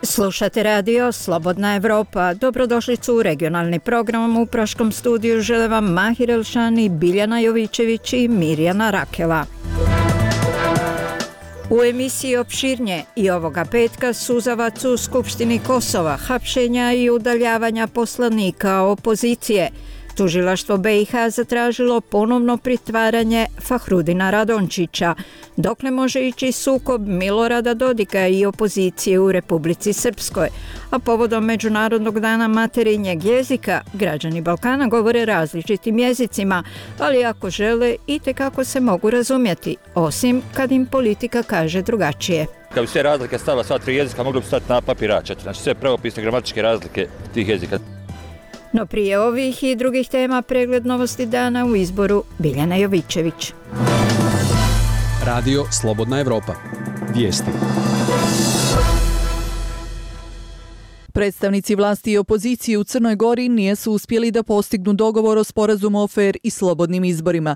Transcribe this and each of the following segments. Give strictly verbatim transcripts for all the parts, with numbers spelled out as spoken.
Slušate radio Slobodna Evropa. Dobrodošlicu u regionalni program. U Praškom studiju žele vam Mahir Elšani, Biljana Jovićević i Mirjana Rakela. U emisiji opširnije i ovoga petka suzavac u Skupštini Kosova, hapšenja i udaljavanja poslanika opozicije. Tužilaštvo be i ha zatražilo ponovno pritvaranje Fahrudina Radončića. Dokle može ići sukob Milorada Dodika i opozicije u Republici Srpskoj? A povodom Međunarodnog dana materinjeg jezika, građani Balkana govore različitim jezicima, ali ako žele, itekako se mogu razumjeti, osim kad im politika kaže drugačije. Kad bi sve razlike stavila sva tri jezika, moglo bi stati na papir A četiri, znači sve pravopisne gramatičke razlike tih jezika. No prije ovih i drugih tema pregled novosti dana u izboru Biljana Jovićević. Radio Slobodna Evropa. Vijesti. Predstavnici vlasti i opozicije u Crnoj Gori nisu uspjeli da postignu dogovor o sporazumu o fer i slobodnim izborima.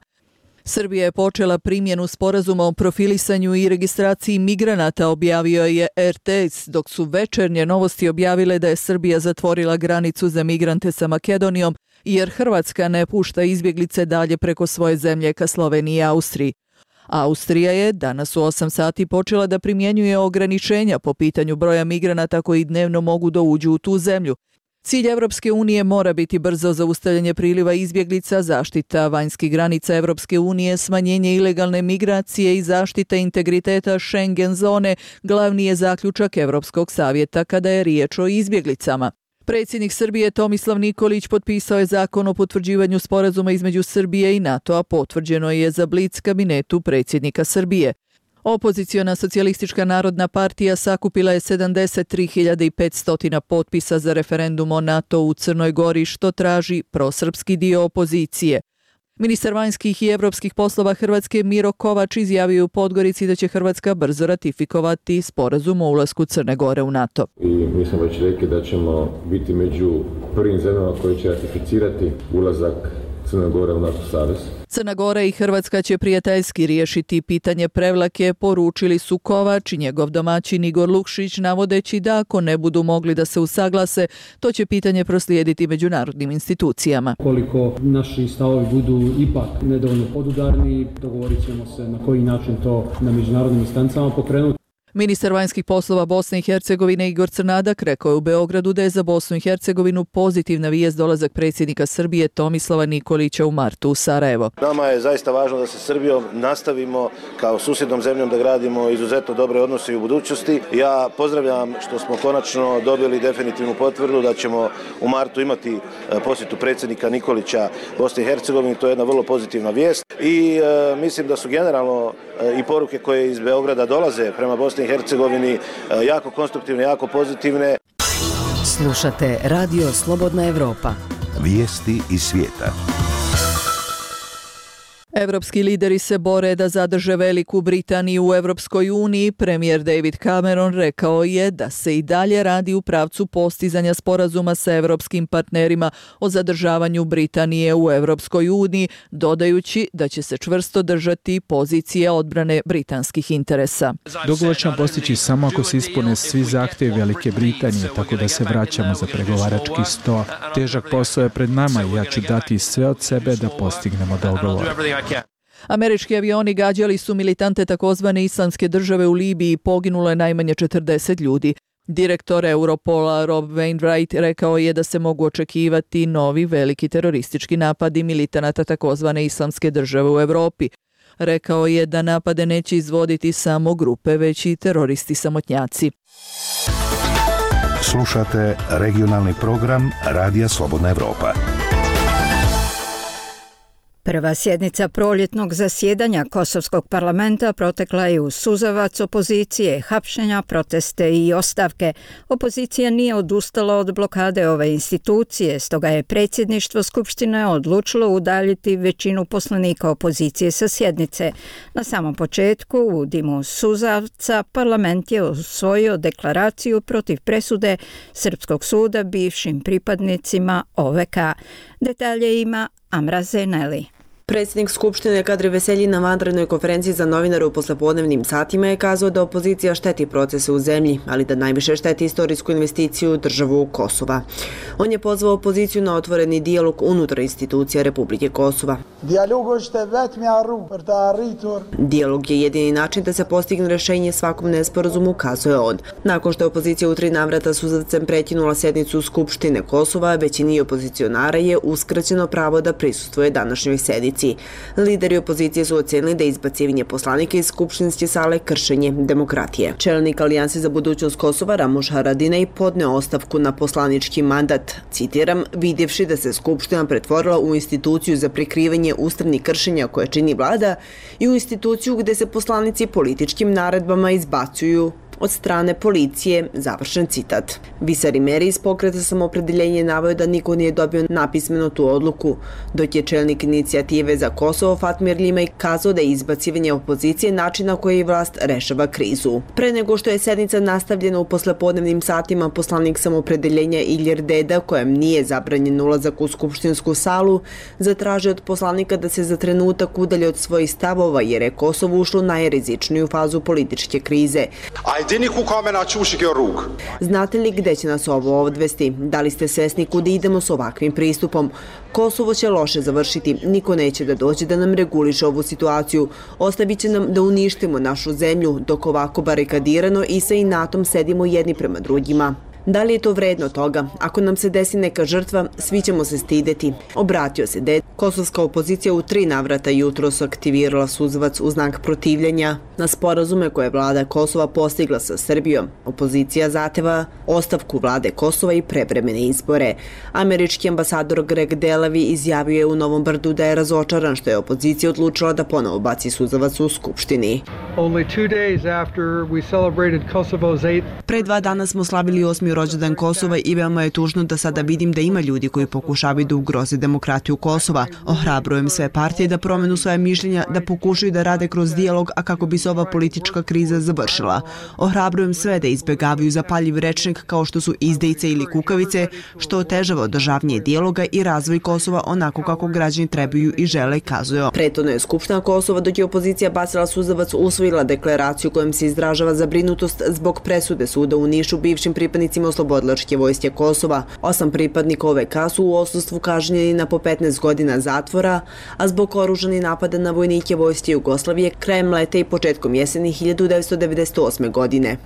Srbija je počela primjenu sporazuma o profilisanju i registraciji migranata, objavio je er te es, dok su Večernje novosti objavile da je Srbija zatvorila granicu za migrante sa Makedonijom, jer Hrvatska ne pušta izbjeglice dalje preko svoje zemlje ka Sloveniji i Austriji. Austrija je danas u osam sati počela da primjenjuje ograničenja po pitanju broja migranata koji dnevno mogu da uđu u tu zemlju. Cilj Evropske unije mora biti brzo zaustavljanje priliva izbjeglica, zaštita vanjskih granica Evropske unije, smanjenje ilegalne migracije i zaštita integriteta Schengen zone, glavni je zaključak Evropskog savjeta kada je riječ o izbjeglicama. Predsjednik Srbije Tomislav Nikolić potpisao je zakon o potvrđivanju sporazuma između Srbije i NATO-a, potvrđeno je za Blic kabinetu predsjednika Srbije. Opoziciona socijalistička narodna partija sakupila je sedamdeset tri hiljade petsto potpisa za referendum o NATO u Crnoj Gori, što traži prosrpski dio opozicije. Ministar vanjskih i evropskih poslova Hrvatske Miro Kovač izjavio u Podgorici da će Hrvatska brzo ratifikovati sporazum o ulasku Crne Gore u NATO. I mi smo već rekli da ćemo biti među prvim zemljama koji će ratificirati ulazak Crne Gore u NATO savez. Crna Gora i Hrvatska će prijateljski riješiti pitanje Prevlake, poručili su Kovač i njegov domaćin Igor Lukšić, navodeći da ako ne budu mogli da se usaglase, to će pitanje proslijediti međunarodnim institucijama. Koliko naši stavovi budu ipak nedovoljno podudarni, dogovorit ćemo se na koji način to na međunarodnim instancama pokrenuti. Ministar vanjskih poslova Bosne i Hercegovine Igor Crnadak rekao je u Beogradu da je za Bosnu i Hercegovinu pozitivna vijest dolazak predsjednika Srbije Tomislava Nikolića u martu u Sarajevo. Nama je zaista važno da se Srbijom nastavimo kao susjednom zemljom da gradimo izuzetno dobre odnose i u budućnosti. Ja pozdravljam što smo konačno dobili definitivnu potvrdu da ćemo u martu imati posjetu predsjednika Nikolića Bosne i Hercegovine. To je jedna vrlo pozitivna vijest i e, mislim da su generalno e, i poruke koje iz Beograda dolaze prema Bosni i Hercegovini jako konstruktivne, jako pozitivne. Slušate Radio Slobodna Evropa. Vijesti iz svijeta. Evropski lideri se bore da zadrže Veliku Britaniju u Evropskoj uniji. Premijer David Cameron rekao je da se i dalje radi u pravcu postizanja sporazuma sa evropskim partnerima o zadržavanju Britanije u Evropskoj uniji, dodajući da će se čvrsto držati pozicije odbrane britanskih interesa. Dogovor ćemo postići samo ako se ispune svi zahtjevi Velike Britanije, tako da se vraćamo za pregovarački sto. Težak posao je pred nama i ja ću dati sve od sebe da postignemo dogovor. Američki avioni gađali su militante takozvane Islamske države u Libiji i poginulo je najmanje četrdeset ljudi. Direktor Europola Rob Wainwright rekao je da se mogu očekivati novi veliki teroristički napadi militanata takozvane Islamske države u Europi. Rekao je da napade neće izvoditi samo grupe, već i teroristi samotnjaci. Slušate regionalni program Radija Slobodna Evropa. Prva sjednica proljetnog zasjedanja Kosovskog parlamenta protekla je u suzavac opozicije, hapšenja, proteste i ostavke. Opozicija nije odustala od blokade ove institucije, stoga je predsjedništvo Skupštine odlučilo udaljiti većinu poslanika opozicije sa sjednice. Na samom početku, u dimu suzavca, parlament je usvojio deklaraciju protiv presude Srpskog suda bivšim pripadnicima o ve ka. Detalje ima Amra Zeneli. Predsjednik Skupštine Kadri Veselji na vanrednoj konferenciji za novinare u poslepodnevnim satima je kazao da opozicija šteti procese u zemlji, ali da najviše šteti istorijsku investiciju državu Kosova. On je pozvao opoziciju na otvoreni dijalog unutar institucija Republike Kosova. Dijalog je jedini način da se postigne rješenje svakom nesporazumu, kazuje on. Nakon što je opozicija u tri navrata suzavcem prekinula sjednicu Skupštine Kosova, većini opozicionara je uskraćeno pravo da prisustvuje današnjoj sjednici. Lideri opozicije su ocenili da je izbacivanje poslanika iz skupštinske sale kršenje demokratije. Čelnik Alijanse za budućnost Kosova Ramuš Haradinaj podneo ostavku na poslanički mandat. Citiram, vidjevši da se Skupština pretvorila u instituciju za prikrivanje ustavnih kršenja koje čini vlada i u instituciju gdje se poslanici političkim naredbama izbacuju od strane policije, završen citat. Visari Meri iz pokreta Samoopredeljenje naveo da niko nije dobio napismeno tu odluku, dok je čelnik inicijative za Kosovo Fatmir Limaj kazao da je izbacivanje opozicije način na koji vlast rešava krizu. Pre nego što je sednica nastavljena u poslepodnevnim satima, poslanik Samoopredeljenja Iljer Deda, kojem nije zabranjen ulazak u skupštinsku salu, zatražio od poslanika da se za trenutak udalje od svojih stavova jer je Kosovo ušlo u najrizičniju fazu političke krize. Znate li gde će nas ovo odvesti? Da li ste svesni kuda idemo s ovakvim pristupom? Kosovo će loše završiti, niko neće da dođe da nam reguliše ovu situaciju. Ostavit će nam da uništimo našu zemlju, dok ovako barikadirano i sa inatom sedimo jedni prema drugima. Da li je to vredno toga? Ako nam se desi neka žrtva, svi ćemo se stideti. Obratio se Deda. Kosovska opozicija u tri navrata jutros aktivirala suzavac u znak protivljenja na sporazume koje je vlada Kosova postigla sa Srbijom. Opozicija zahteva ostavku vlade Kosova i prevremene izbore. Američki ambasador Greg Delavi izjavio je u Novom Brdu da je razočaran što je opozicija odlučila da ponovo baci suzavac u Skupštini. Pre dva dana smo slavili osmi rođendan Kosova i veoma je tužno da sada vidim da ima ljudi koji pokušavaju da ugroze demokratiju Kosova. Ohrabrujem sve partije da promenu svoje mišljenja, da pokušaju da rade kroz dijalog, a kako bi se ova politička kriza završila. Ohrabrujem sve da izbjegavaju zapaljiv rečnik kao što su izdejice ili kukavice, što otežava održavanje dijaloga i razvoj Kosova onako kako građani trebaju i žele, kazuje. Prethodno je Skupština Kosova, dok je opozicija bacila suzavac, usvojila deklaraciju kojom se izražava zabrinutost zbog presude suda u Nišu bivšim pripadnicima Oslobodilačke vojske Kosova. Osam pripadnika O V K su u odsustvu kažnjeni na po petnaest godina zatvora, a zbog oružanih napada na vojnike vojske Jugoslavije krajem leta i početkom jeseni hiljadu devetsto devedeset osme. godine.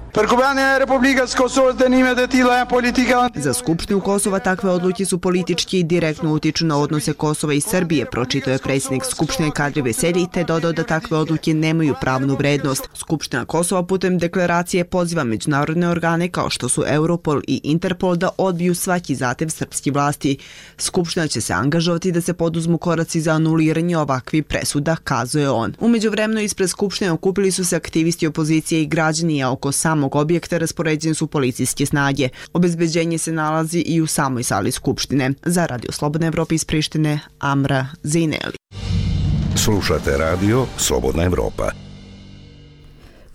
Za Skupštinu Kosova takve odluke su politički i direktno utiču na odnose Kosova i Srbije, pročitao je predsjednik Skupštine Kadri Veselji, te dodao da takve odluke nemaju pravnu vrednost. Skupština Kosova putem deklaracije poziva međunarodne organe kao što su Europol i Interpol da odbiju svaki zahtev srpskih vlasti. Skupština će se angažovati da se poduzmu koraci za anuliranje ovakvih presuda, kazuje on. U međuvremenu ispred Skupštine okupili su se aktivisti opozicije i građani, a oko samog objekta raspoređene su policijske snage. Obezbeđenje se nalazi i u samoj sali Skupštine. Za Radio Slobodna Evropa iz Prištine, Amra Zejneli. Slušate Radio Slobodna Evropa.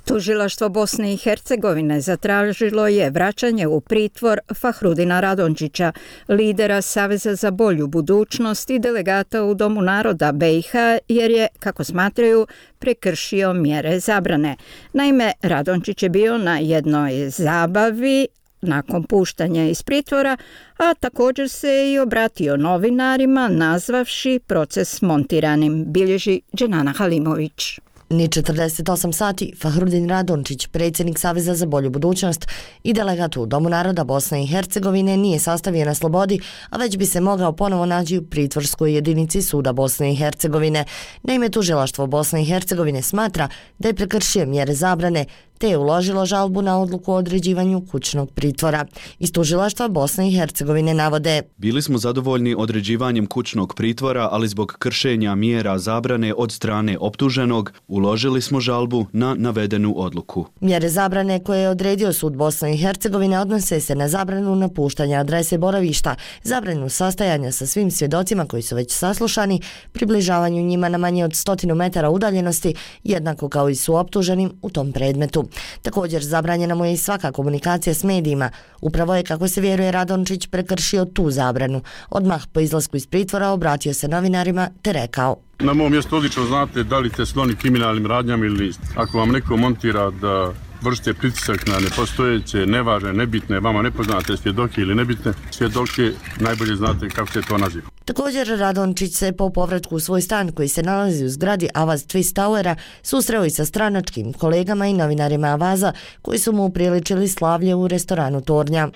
Tužilaštvo Bosne i Hercegovine zatražilo je vraćanje u pritvor Fahrudina Radončića, lidera Saveza za bolju budućnost i delegata u Domu naroda B i H, jer je, kako smatraju, prekršio mjere zabrane. Naime, Radončić je bio na jednoj zabavi nakon puštanja iz pritvora, a također se i obratio novinarima nazvavši proces montiranim, bilježi Dženana Halimović. Ni četrdeset osam sati Fahrudin Radončić, predsjednik Saveza za bolju budućnost i delegat u Domu naroda Bosne i Hercegovine, nije sastavio na slobodi, a već bi se mogao ponovo naći u pritvorskoj jedinici suda Bosne i Hercegovine. Naime, tužilaštvo Bosne i Hercegovine smatra da je prekršio mjere zabrane, te je uložilo žalbu na odluku o određivanju kućnog pritvora. Iz tužilaštva Bosne i Hercegovine navode: Bili smo zadovoljni određivanjem kućnog pritvora, ali zbog kršenja mjera zabrane od strane optuženog uložili smo žalbu na navedenu odluku. Mjere zabrane koje je odredio sud Bosne i Hercegovine odnose se na zabranu napuštanja adrese boravišta, zabranu sastajanja sa svim svjedocima koji su već saslušani, približavanju njima na manje od stotinu metara udaljenosti, jednako kao i su optuženim u tom predmetu. Također zabranjena mu je i svaka komunikacija s medijima. Upravo je, kako se vjeruje, Radončić prekršio tu zabranu. Odmah po izlasku iz pritvora obratio se novinarima te rekao: Na mom mjestu odlično znate da li ste skloni kriminalnim radnjama ili niste. Ako vam neko montira da vršite pritisak na nepostojeće, nevažne, nebitne, vama nepoznate svjedoke ili nebitne svjedoke, najbolje znate kako se to naziva. Također, Radončić se po povratku u svoj stan koji se nalazi u zgradi Avaz Twist Towera susreo i sa stranačkim kolegama i novinarima Avaza koji su mu upriličili slavlje u restoranu Tornja.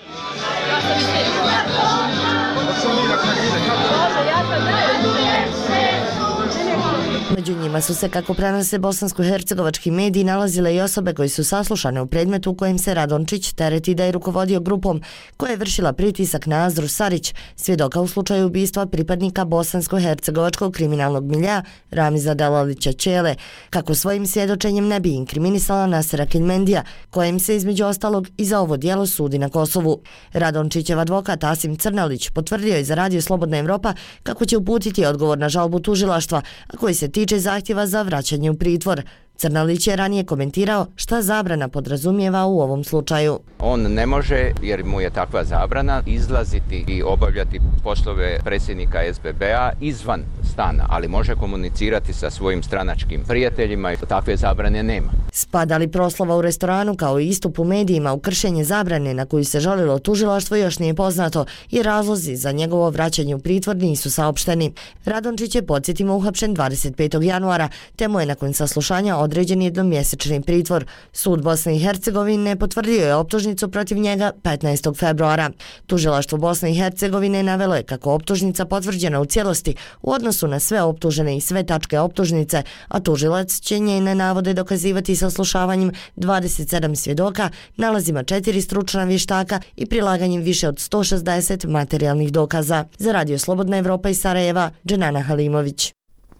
Među njima su se, kako prenose bosansko-hercegovački mediji, nalazile i osobe koji su saslušane u predmetu u kojem se Radončić tereti da je rukovodio grupom koja je vršila pritisak na Azru Sarić, svjedoka u slučaju ubistva pripadnika bosansko-hercegovačkog kriminalnog milja Ramiza Delalića Čele, kako svojim svjedočenjem ne bi inkriminisala Nasera Keljmendija, kojem se između ostalog i za ovo djelo sudi na Kosovu. Radončićev advokat Asim Crnalić potvrdio je za Radio Slobodna Evropa kako će uputiti odgovor na žalbu tužilaštva, a koji se tiče zahtjeva za vraćanje u pritvor. Crnalić je ranije komentirao šta zabrana podrazumijeva u ovom slučaju. On ne može, jer mu je takva zabrana, izlaziti i obavljati poslove predsjednika S B B-a izvan stana, ali može komunicirati sa svojim stranačkim prijateljima i takve zabrane nema. Spada li proslava u restoranu kao i istup u medijima u kršenje zabrane na koju se žalilo tužilaštvo još nije poznato i razlozi za njegovo vraćanje u pritvor nisu saopšteni. Radončić je, podsjetimo, uhapšen dvadeset petog januara, te mu je nakon saslušanja određen jednomjesečni pritvor. Sud Bosne i Hercegovine potvrdio je optužnicu protiv njega petnaestog februara. Tužilaštvo Bosne i Hercegovine navelo je kako optužnica potvrđena u cijelosti u odnosu na sve optužene i sve tačke optužnice, a tužilac će njene navode dokazivati saslušavanjem dvadeset sedam svjedoka, nalazima četiri stručna vještaka i prilaganjem više od sto šezdeset materijalnih dokaza. Za Radio Slobodna Evropa iz Sarajeva, Dženana Halimović.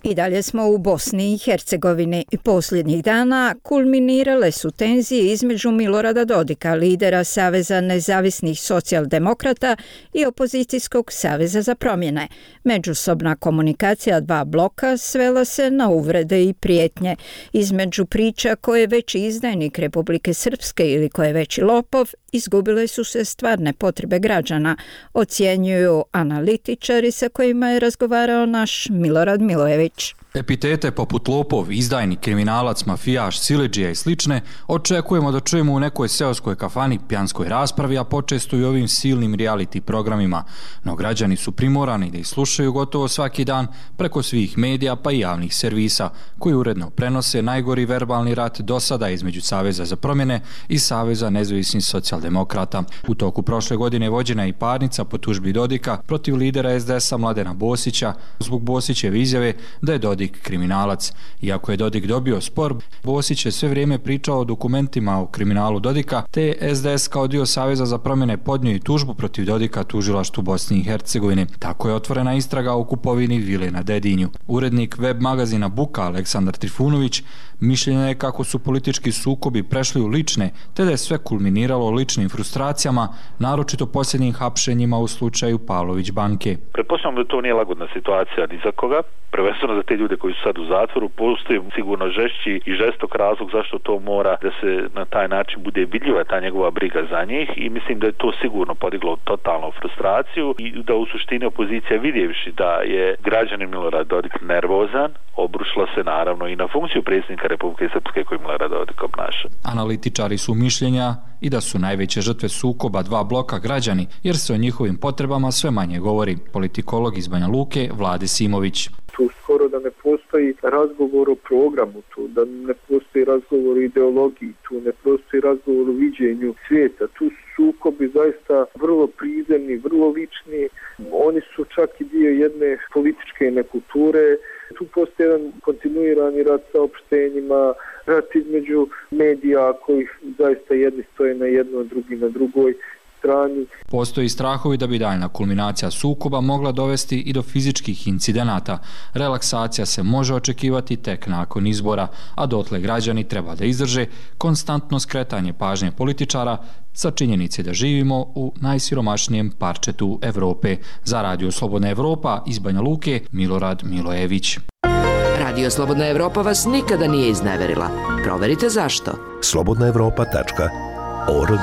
I dalje smo u Bosni i Hercegovini. Posljednjih dana kulminirale su tenzije između Milorada Dodika, lidera Saveza nezavisnih socijaldemokrata, i opozicijskog Saveza za promjene. Međusobna komunikacija dva bloka svela se na uvrede i prijetnje. Između priča ko je veći izdajnik Republike Srpske ili ko je veći lopov, izgubile su se stvarne potrebe građana, ocjenjuju analitičari sa kojima je razgovarao naš Milorad Milojević. Epitete poput lopov, izdajnik, kriminalac, mafijaš, siledžija i slične očekujemo da čujemo u nekoj seoskoj kafani, pijanskoj raspravi, a počesto i ovim silnim reality programima. No građani su primorani da ih slušaju gotovo svaki dan preko svih medija pa i javnih servisa, koji uredno prenose najgori verbalni rat do sada između Saveza za promjene i Saveza nezavisnih socijaldemokrata. U toku prošle godine vođena je i parnica po tužbi Dodika protiv lidera S D S-a Mladena Bosića zbog Bosićeve izjave da je Dodik kriminalac. Iako je Dodik dobio spor, Bosić je sve vrijeme pričao o dokumentima o kriminalu Dodika, te je S D S kao dio Saveza za promjene podnio i tužbu protiv Dodika tužilaštvu Bosne i Hercegovine. Tako je otvorena istraga o kupovini vile na Dedinju. Urednik web magazina Buka Aleksandar Trifunović mišljenja je kako su politički sukobi prešli u lične, te da je sve kulminiralo ličnim frustracijama, naročito posljednjim hapšenjima u slučaju Pavlović banke. Pretpostavljam da to nije lagodna situacija ni za koga, prvenstveno za te ljude koji su sad u zatvoru. Postoji sigurno žešći i žestok razlog zašto to mora da se na taj način bude vidljiva ta njegova briga za njih, i mislim da je to sigurno podiglo totalnu frustraciju i da u suštini opozicija, vidjevši da je građanin Milorad Dodik nervozan, obrušila se naravno i na funkciju predsjednika Republike Srpske koji Milorad Dodik obnaša. Analitičari su mišljenja i da su najveće žrtve sukoba dva bloka građani, jer se o njihovim potrebama sve manje govori. Politikolog iz Banja Luke Vlade Simović. Tu skoro da ne postoji razgovor o programu, tu da ne postoji razgovor o ideologiji, tu ne postoji razgovor o viđenju svijeta. Tu su sukobi zaista vrlo prizemni, vrlo lični. Oni su čak i dio jedne političke nekulture. Tu postoji jedan kontinuirani rad sa opštenjima, rat između medija koji zaista jedni stoje na jednoj, drugi na drugoj strani. Postoji strahovi da bi daljna kulminacija sukoba mogla dovesti i do fizičkih incidenata. Relaksacija se može očekivati tek nakon izbora, a dotle građani treba da izdrže konstantno skretanje pažnje političara sa činjenice da živimo u najsiromašnijem parčetu Evrope. Za Radio Slobodna Evropa iz Banja Luke, Milorad Milojević. Radio Slobodna Evropa vas nikada nije izneverila. Proverite zašto. slobodna evropa tačka org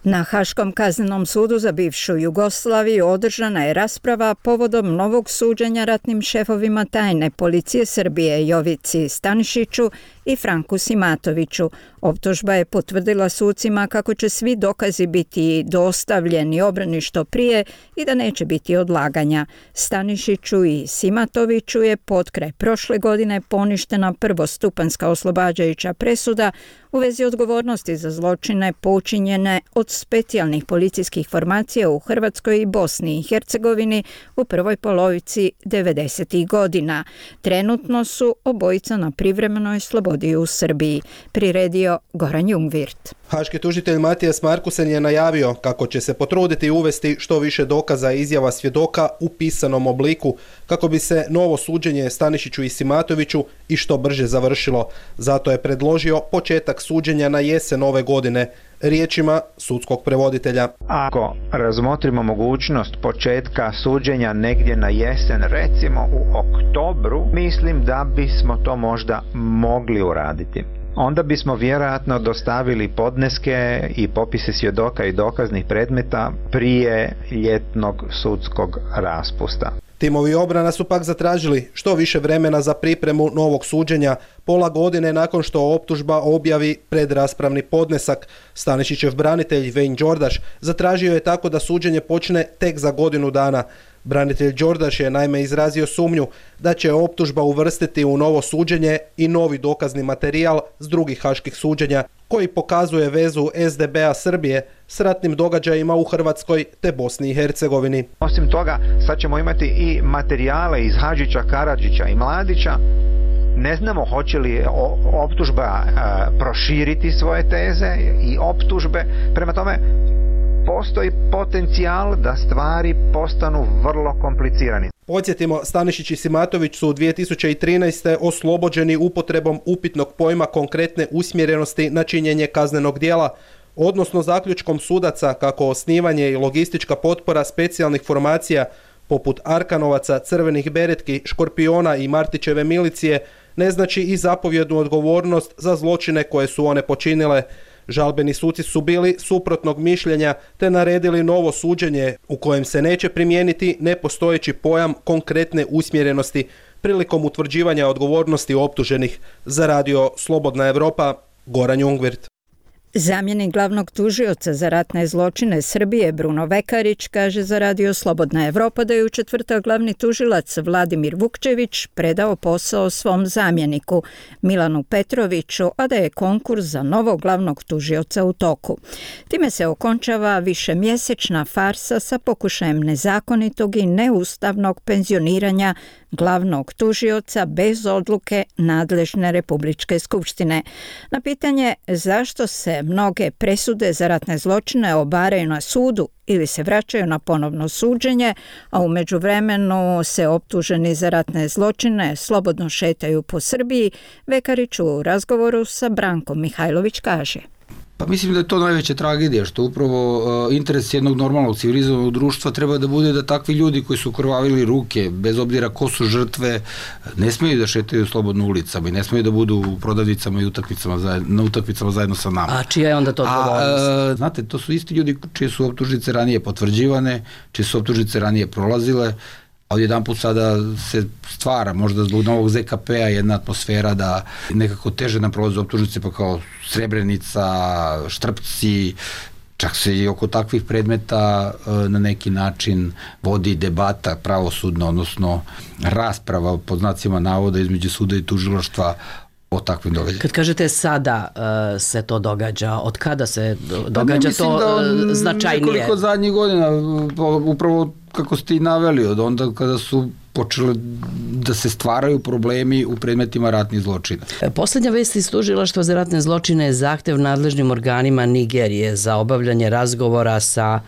Na Haškom kaznenom sudu za bivšu Jugoslaviju održana je rasprava povodom novog suđenja ratnim šefovima tajne policije Srbije Jovici Stanišiću i Franku Simatoviću. Optužba je potvrdila sucima kako će svi dokazi biti dostavljeni obrani što prije i da neće biti odlaganja. Stanišiću i Simatoviću je potkraj prošle godine poništena prvostupanska oslobađajuća presuda u vezi odgovornosti za zločine počinjene od specijalnih policijskih formacija u Hrvatskoj i Bosni i Hercegovini u prvoj polovici devedesetih godina. Trenutno su obojica na privremenoj slobodi u Srbiji, priredio Goran Jungwirth. Haški tužitelj Matijas Markusen je najavio kako će se potruditi uvesti što više dokaza i izjava svjedoka u pisanom obliku kako bi se novo suđenje Stanišiću i Simatoviću i što brže završilo. Zato je predložio početak suđenja na jesen ove godine, riječima sudskog prevoditelja. Ako razmotrimo mogućnost početka suđenja negdje na jesen, recimo u oktobru, mislim da bismo to možda mogli uraditi. Onda bismo vjerojatno dostavili podneske i popise svjedoka i dokaznih predmeta prije ljetnog sudskog raspusta. Timovi obrana su pak zatražili što više vremena za pripremu novog suđenja, pola godine nakon što optužba objavi predraspravni podnesak. Stanišićev branitelj Vejn Đordaš zatražio je tako da suđenje počne tek za godinu dana. Branitelj Đordaš je naime izrazio sumnju da će optužba uvrstiti u novo suđenje i novi dokazni materijal s drugih haških suđenja koji pokazuje vezu es de be a Srbije s ratnim događajima u Hrvatskoj te Bosni i Hercegovini. Osim toga, sad ćemo imati i materijale iz Hadžića, Karadžića i Mladića. Ne znamo hoće li optužba e, proširiti svoje teze i optužbe. Prema tome, postoji potencijal da stvari postanu vrlo komplicirani. Podsjetimo, Stanišić i Simatović su u dvije tisuće trinaeste. oslobođeni upotrebom upitnog pojma konkretne usmjerenosti na činjenje kaznenog djela, odnosno zaključkom sudaca kako osnivanje i logistička potpora specijalnih formacija poput Arkanovaca, Crvenih beretki, Škorpiona i Martićeve milicije ne znači i zapovjednu odgovornost za zločine koje su one počinile. Žalbeni suci su bili suprotnog mišljenja te naredili novo suđenje u kojem se neće primijeniti nepostojeći pojam konkretne usmjerenosti prilikom utvrđivanja odgovornosti optuženih. Za radio Slobodna Evropa, Goran Jungwirth. Zamjenik glavnog tužioca za ratne zločine Srbije Bruno Vekarić kaže za radio Slobodna Evropa da je u četvrtak glavni tužilac Vladimir Vukčević predao posao svom zamjeniku Milanu Petroviću, a da je konkurs za novog glavnog tužioca u toku. Time se okončava višemjesečna farsa sa pokušajem nezakonitog i neustavnog penzioniranja glavnog tužioca bez odluke nadležne Republičke skupštine. Na pitanje zašto se mnoge presude za ratne zločine obaraju na sudu ili se vraćaju na ponovno suđenje, a u međuvremenu se optuženi za ratne zločine slobodno šetaju po Srbiji, Vekarić u razgovoru sa Brankom Mihajlović kaže. Pa mislim da je to najveća tragedija, što upravo uh, interes jednog normalnog civilizovanog društva treba da bude da takvi ljudi koji su krvavili ruke, bez obzira ko su žrtve, ne smiju da šetaju slobodno ulicama i ne smiju da budu u prodavnicama i utakmicama zajedno, na utakmicama zajedno sa nama. A čija je onda to odgovornost? A, uh, znate, to su isti ljudi čije su optužnice ranije potvrđivane, čije su optužnice ranije prolazile, a odjedan put sada se stvara, možda zbog novog ze ka pe a, jedna atmosfera da nekako teže nam prolaze optužnice, pa kao Srebrenica, Štrpci, čak se i oko takvih predmeta na neki način vodi debata pravosudna, odnosno rasprava pod znacima navoda između suda i tužilaštva o takvim događajima. Kad kažete sada uh, se to događa, od kada se događa pa to da, značajnije? Nekoliko zadnjih godina, upravo kako ste i naveli, od onda kada su počeli da se stvaraju problemi u predmetima ratnih zločina. Posljednja vest iz tužilaštva za ratne zločine je zahtev nadležnim organima Nigerije za obavljanje razgovora sa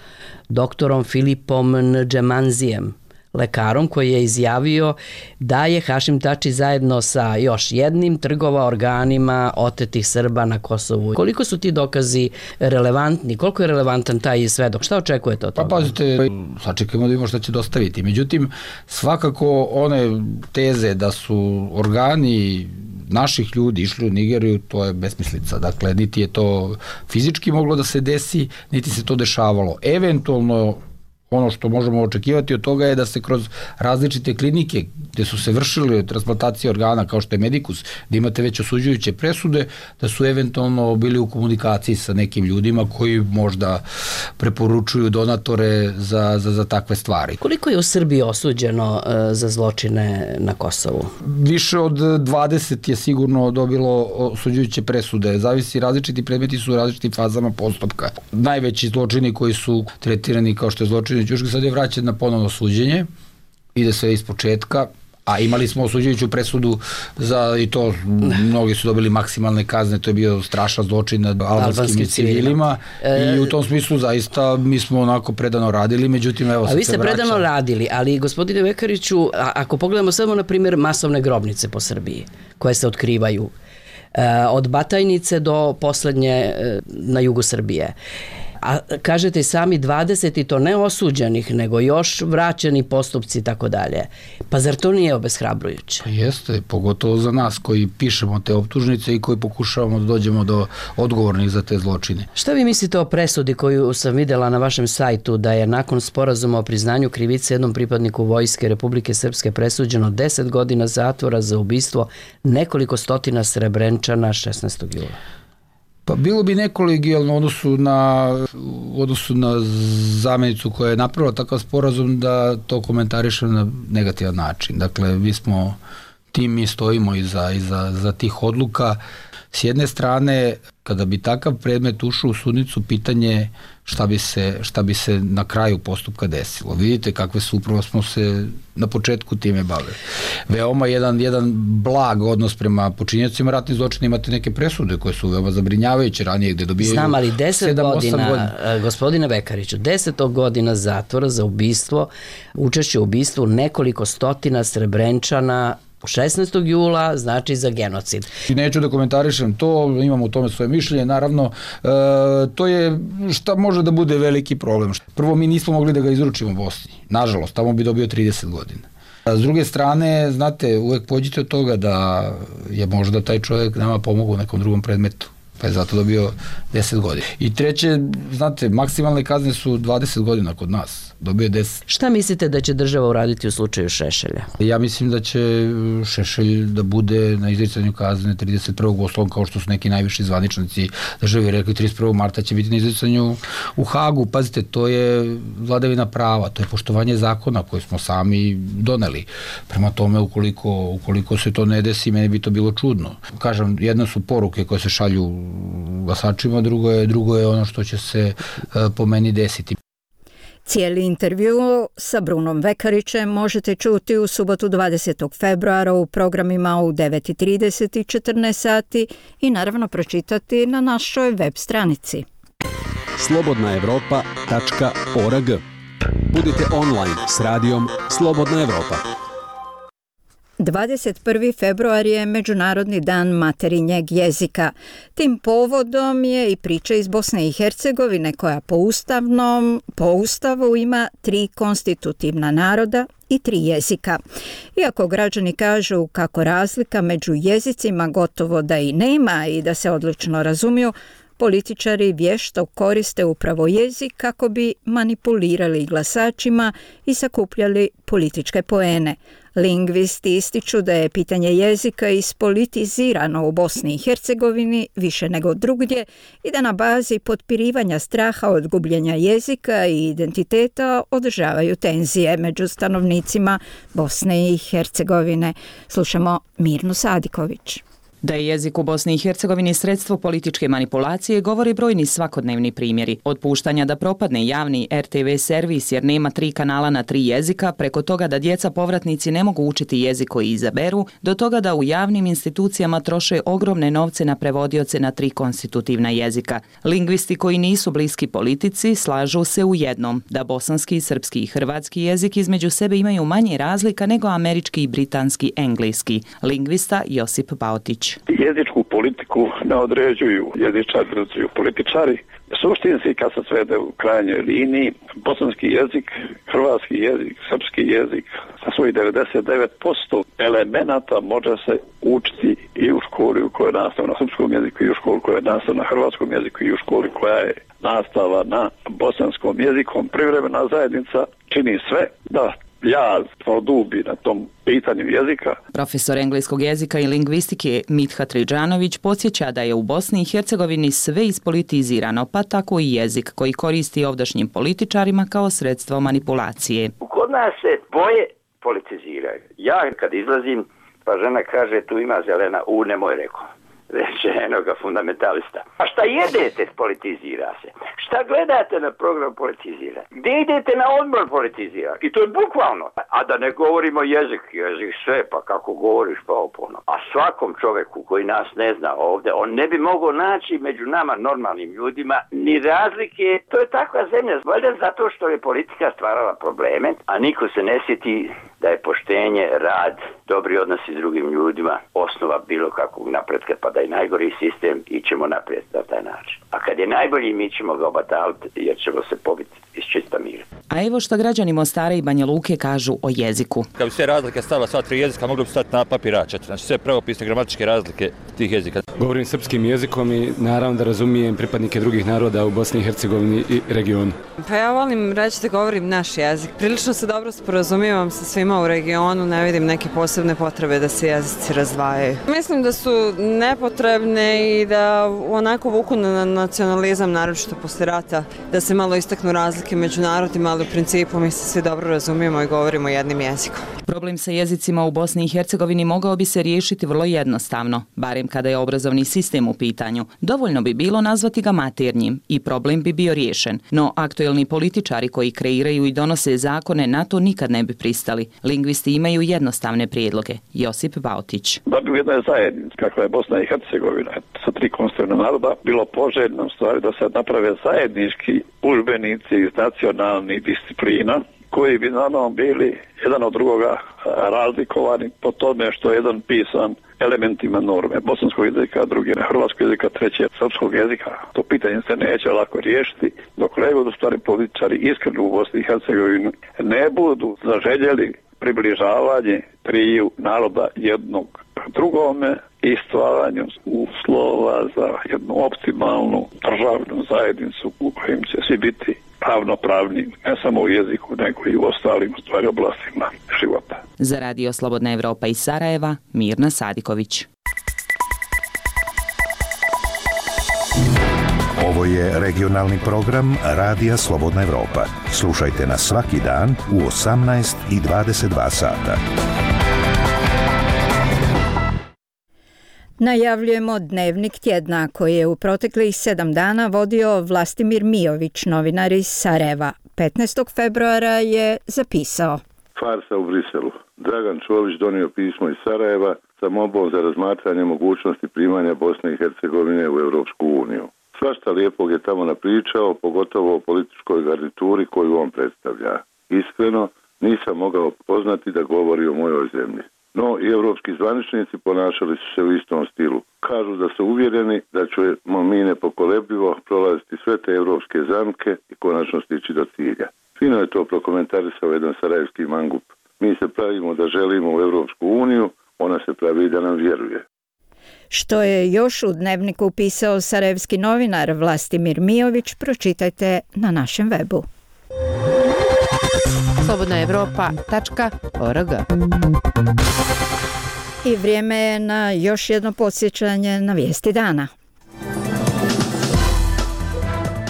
doktorom Filipom Ndžemanzijem, lekarom koji je izjavio da je Hašim Tači zajedno sa još jednim trgovao organima otetih Srba na Kosovu. Koliko su ti dokazi relevantni? Koliko je relevantan taj svedok? Šta očekujete od toga? Pa pazite, sačekajmo da vidimo šta će dostaviti. Međutim, svakako one teze da su organi naših ljudi išli u Nigeriju, to je besmislica. Dakle, niti je to fizički moglo da se desi, niti se to dešavalo. Eventualno, ono što možemo očekivati od toga je da se kroz različite klinike gde su se vršili transplantacije organa kao što je Medikus, da imate već osuđujuće presude, da su eventualno bili u komunikaciji sa nekim ljudima koji možda preporučuju donatore za, za, za takve stvari. Koliko je u Srbiji osuđeno uh, za zločine na Kosovu? Više od dvadeset je sigurno dobilo osuđujuće presude. Zavisi, različiti predmeti su u različitim fazama postupka. Najveći zločini koji su tretirani kao što je zločini Ćuške sad je vraćen na ponovno suđenje, ide sve iz početka, a imali smo osuđujuću presudu za, i to mnogi su dobili maksimalne kazne, to je bio strašan zločin nad albanskim civilima e, i u tom smislu zaista mi smo onako predano radili, međutim evo sad se vraća. A vi ste predano radili, ali gospodine Vekariću, a, ako pogledamo samo na primjer masovne grobnice po Srbiji koje se otkrivaju, e, od Batajnice do poslednje e, na jugu Srbije, a kažete i sami dvadeset i to ne osuđenih, nego još vraćeni postupci i tako dalje. Pa zar to nije obeshrabrujuće? Pa jeste, pogotovo za nas koji pišemo te optužnice i koji pokušavamo da dođemo do odgovornih za te zločine. Šta vi mislite o presudi koju sam videla na vašem sajtu, da je nakon sporazuma o priznanju krivice jednom pripadniku Vojske Republike Srpske presuđeno deset godina zatvora za ubistvo nekoliko stotina Srebrenčana šesnaestog jula? Pa bilo bi nekolegijalno u odnosu na, u odnosu na zamenicu koja je napravila takav sporazum da to komentarišem na negativan način. Dakle, mi smo, tim mi stojimo iza, iza za tih odluka. S jedne strane, kada bi takav predmet ušao u sudnicu, pitanje šta bi se, šta bi se na kraju postupka desilo. Vidite kakve su, upravo smo se na početku time bavili. Veoma jedan, jedan blag odnos prema počinjacima ratnih zločina, imate neke presude koje su veoma zabrinjavajuće ranije gde dobijaju Znam, ali deset godina, godina, gospodine Vekariću, deset godina zatvora za ubistvo, učešće u ubistvu nekoliko stotina Srebrenčana šesnaestog jula, znači za genocid. I neću da komentarišem to, imam u tome svoje mišljenje, naravno, e, to je šta može da bude veliki problem. Prvo, mi nismo mogli da ga izručimo u Bosni. Nažalost, tamo bi dobio trideset godina. A s druge strane, znate, uvek pođite od toga da je možda taj čovjek nama pomogao u nekom drugom predmetu, pa je zato dobio deset godina. I treće, znate, maksimalne kazne su dvadeset godina kod nas, dobio deset. Šta mislite da će država uraditi u slučaju Šešelja? Ja mislim da će Šešelj da bude na izricanju kazne trideset prvog oslovom, kao što su neki najviši zvaničnici države rekli, trideset prvog marta će biti na izricanju u Hagu. Pazite, to je vladavina prava, to je poštovanje zakona koje smo sami doneli. Prema tome, ukoliko, ukoliko se to ne desi, meni bi to bilo čudno. Kažem, jedna su poruke koje se šalju glasačima, drugo je, drugo je ono što će se po meni desiti. Cijeli intervju sa Brunom Vekarićem možete čuti u subotu dvadesetog februara u programima u devet i trideset i četrnaest sati i naravno pročitati na našoj web stranici. slobodna evropa tačka org. Budite online s radijom Slobodna Evropa. dvadeset prvi februar je Međunarodni dan materinjeg jezika. Tim povodom je i priča iz Bosne i Hercegovine koja po ustavnom, po ustavu ima tri konstitutivna naroda i tri jezika. Iako građani kažu kako razlika među jezicima gotovo da i nema i da se odlično razumiju, političari vješto koriste upravo jezik kako bi manipulirali glasačima i sakupljali političke poene. Lingvisti ističu da je pitanje jezika ispolitizirano u Bosni i Hercegovini više nego drugdje i da na bazi potpirivanja straha od gubljenja jezika i identiteta održavaju tenzije među stanovnicima Bosne i Hercegovine. Slušamo Mirnu Sadiković. Da je jezik u Bosni i Hercegovini sredstvo političke manipulacije govori brojni svakodnevni primjeri. Od puštanja da propadne javni er te ve servis jer nema tri kanala na tri jezika, preko toga da djeca povratnici ne mogu učiti jezik koji izaberu, do toga da u javnim institucijama troše ogromne novce na prevodioce na tri konstitutivna jezika. Lingvisti koji nisu bliski politici slažu se u jednom, da bosanski, srpski i hrvatski jezik između sebe imaju manje razlika nego američki i britanski engleski. Lingvista Josip Baotić. Bautić. Jezičku politiku ne određuju jezičari, određuju političari. Suštinski, kad se svede u krajnjoj liniji, bosanski jezik, hrvatski jezik, srpski jezik sa svojih devedeset devet posto elemenata može se učiti i u školi u kojoj je nastava na srpskom jeziku, i u školi koja je nastava na hrvatskom jeziku, i u školi koja je nastava na bosanskom jeziku. Privremena zajednica čini sve da jaz produbi na tom pitanju jezika. Profesor engleskog jezika i lingvistike Mithat Ridžanović podsjeća da je u Bosni i Hercegovini sve ispolitizirano, pa tako i jezik koji koristi ovdašnjim političarima kao sredstvo manipulacije. Kod nas se boje politiziraju. Ja kad izlazim, pa žena kaže tu ima zelena, u nemoj rekao. Reče enoga fundamentalista. A šta jedete, politizira se. Šta gledate na program, politizira. Gdje idete na odmor, politizira. I to je bukvalno. A da ne govorimo jezik, jezik sve, pa kako govoriš, pa opono. A svakom čoveku koji nas ne zna ovdje, on ne bi mogao naći među nama normalnim ljudima ni razlike. To je takva zemlja. Valjda zato što je politika stvarala probleme, a niko se ne sjeti da je poštenje, rad, dobri odnosi s drugim ljudima osnova bilo kakvog napretka, pa da je najgori sistem i ćemo naprijed na taj način. A kad je najbolji, mi ćemo ga obataliti jer ćemo se pobiti iz čista mira. A evo što građani Mostara i Banja Luke kažu o jeziku. Kad bi sve razlike stavila sva tri jezika, mogli bi stati na papir A četiri. Znači sve pravopisne gramatičke razlike tih jezika. Govorim srpskim jezikom i naravno da razumijem pripadnike drugih naroda u Bosni i Hercegovini i regionu. Pa ja volim reći da govorim naš jezik. Prilično se dobro sporazumijevam sa svima u regionu, ne vidim neke posebne potrebe da se jezici razdvajaju. Mislim da su nepotrebne i da onako vuku na nacionalizam, naročito posle rata, da se malo istaknu razlike među narodima, ali u principu mi se svi dobro razumijemo i govorimo jednim jezikom. Problem sa jezicima u Bosni i Hercegovini mogao bi se riješiti vrlo jednostavno, barem kada je obrazovni sistem u pitanju. Dovoljno bi bilo nazvati ga maternjim i problem bi bio riješen, no aktuelni političari koji kreiraju i donose zakone na to nikad ne bi pristali. Lingvisti imaju jednostavne prijedloge. Josip Bautić. Da bi u jednoj zajednici, kakva je Bosna i Hercegovina, sa tri konstitutivna naroda, bilo poželjno stvari da se naprave zajednički udžbenici iz nacionalnih disciplina, koji bi naravno bili jedan od drugoga razlikovani po tome što je jedan pisan elementima norme bosanskog jezika, drugi na hrvatskog jezika, treći srpskog jezika. To pitanje se neće lako riješiti dok ne budu stvari političari iskreno u Bosni i Hercegovini ne budu zaželjeli približavanje triju naroda jednog drugome i stvaranju uslova za jednu optimalnu državnu zajednicu u kojim će svi biti ravnopravni, ne samo u jeziku, nego i u ostalim stvari oblastima života. Za Radio Slobodna Evropa iz Sarajeva, Mirna Sadiković. Ovo je regionalni program Radija Slobodna Evropa. Slušajte nas svaki dan u osamnaest i dvadeset dva sata. Najavljujemo Dnevnik tjedna koji je u proteklih sedam dana vodio Vlastimir Mijović, novinar iz Sarajeva. petnaestog februara je zapisao. Farsa u Briselu. Dragan Čović donio pismo iz Sarajeva sa molbom za razmatranje mogućnosti primanja Bosne i Hercegovine u Europsku uniju. Svašta lijepog je tamo napričao, pogotovo o političkoj garnituri koju on predstavlja. Iskreno, nisam mogao poznati da govori o mojoj zemlji. No i evropski zvaničnici ponašali su se u istom stilu. Kažu da su uvjereni da ćemo mi nepokolebljivo prolaziti sve te evropske zamke i konačno stići do cilja. Fino je to prokomentarisao jedan sarajevski mangup. Mi se pravimo da želimo u Evropsku uniju, ona se pravi da nam vjeruje. Što je još u Dnevniku pisao sarajevski novinar Vlastimir Mijović, pročitajte na našem webu. slobodna evropa tačka org. I vrijeme je na još jedno podsjećanje na vijesti dana.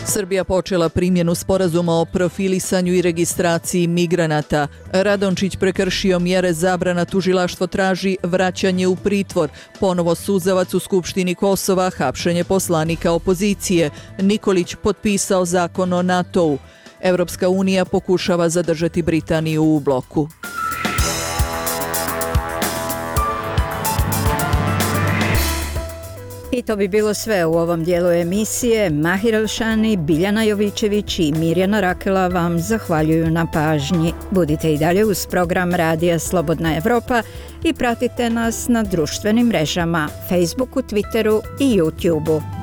Srbija počela primjenu sporazuma o profilisanju i registraciji migranata. Radončić prekršio mjere zabrana, tužilaštvo traži vraćanje u pritvor. Ponovo suzavac u Skupštini Kosova, hapšenje poslanika opozicije. Nikolić potpisao zakon o NATO-u. Evropska unija pokušava zadržati Britaniju u bloku. I to bi bilo sve u ovom dijelu emisije. Mahir Elšani, Biljana Jovićević i Mirjana Rakela vam zahvaljuju na pažnji. Budite i dalje uz program Radija Slobodna Evropa i pratite nas na društvenim mrežama, Facebooku, Twitteru i YouTubeu.